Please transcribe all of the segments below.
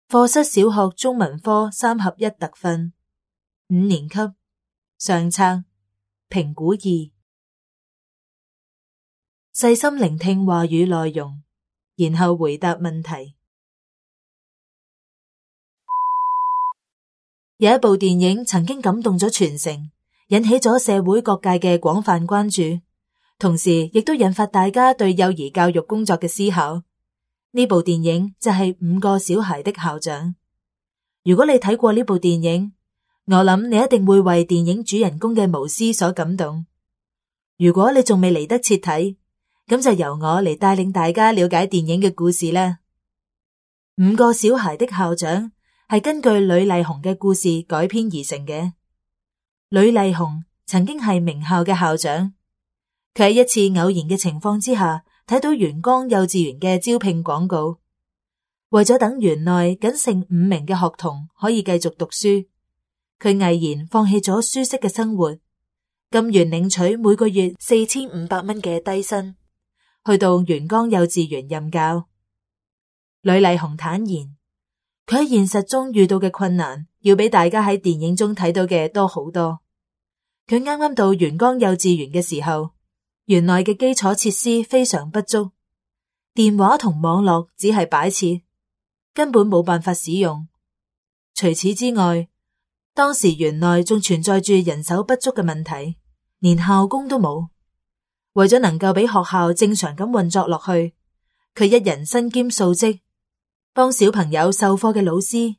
課室小學中文科3合1特訓，5年級上冊評估2，細心聆聽話語內容，然後回答問題。有一部電影曾經感動咗全城，引起咗社會各界嘅廣泛關注，同時亦都引發大家對幼兒教育工作嘅思考。呢部電影就係5個小孩的校長。如果你睇過呢部電影，我諗你一定會為電影主人公嘅無私所感動。如果你仲未嚟得切睇，咁就由我嚟帶領大家了解電影嘅故事啦。5個小孩的校長係根據呂麗紅嘅故事改編而成嘅。呂麗紅曾經係名校嘅校長，佢喺一次偶然嘅情況之下，睇到元江幼稚園嘅招聘廣告，為咗等園內僅剩5名嘅學童可以繼續讀書，佢毅然放棄咗舒適嘅生活，甘願領取每個月4500蚊嘅低薪，去到元江幼稚園任教。呂麗紅坦言，佢喺現實中遇到嘅困難，要比大家喺電影中睇到嘅多好多。佢啱啱到元江幼稚園嘅時候，園內嘅基礎設施非常不足，電話同網絡只係擺設，根本冇辦法使用。除此之外，當時園內仲存在住人手不足嘅問題，連校工都冇。為咗能夠俾學校正常咁運作落去，佢一人身兼數職，幫小朋友授課嘅老師，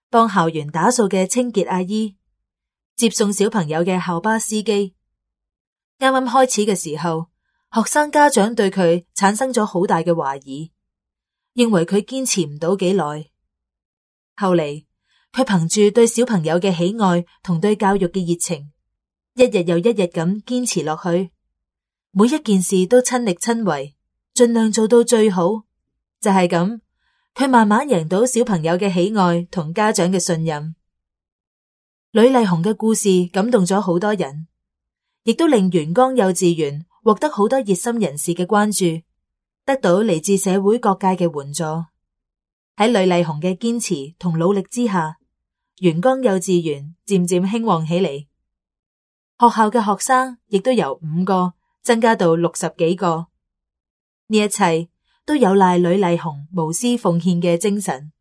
幫校園打掃嘅清潔阿姨，接送小朋友嘅校巴司機。啱啱開始嘅時候，學生家長對佢產生咗好大嘅懷疑，認為佢堅持唔到幾耐。後嚟，佢憑住對小朋友嘅喜愛同對教育嘅熱情，一日又一日咁堅持落去，每一件事都親力親為，盡量做到最好。就係咁，佢慢慢贏到小朋友嘅喜愛同家長嘅信任。呂麗紅嘅故事感動咗好多人，亦都令元江幼稚園獲得好多熱心人士嘅關注，得到嚟自社會各界嘅援助。喺呂麗紅嘅堅持同努力之下，元江幼稚園漸漸興旺起嚟，學校嘅學生亦都由5個增加到60幾個。呢一切都有賴呂麗紅無私奉獻嘅精神。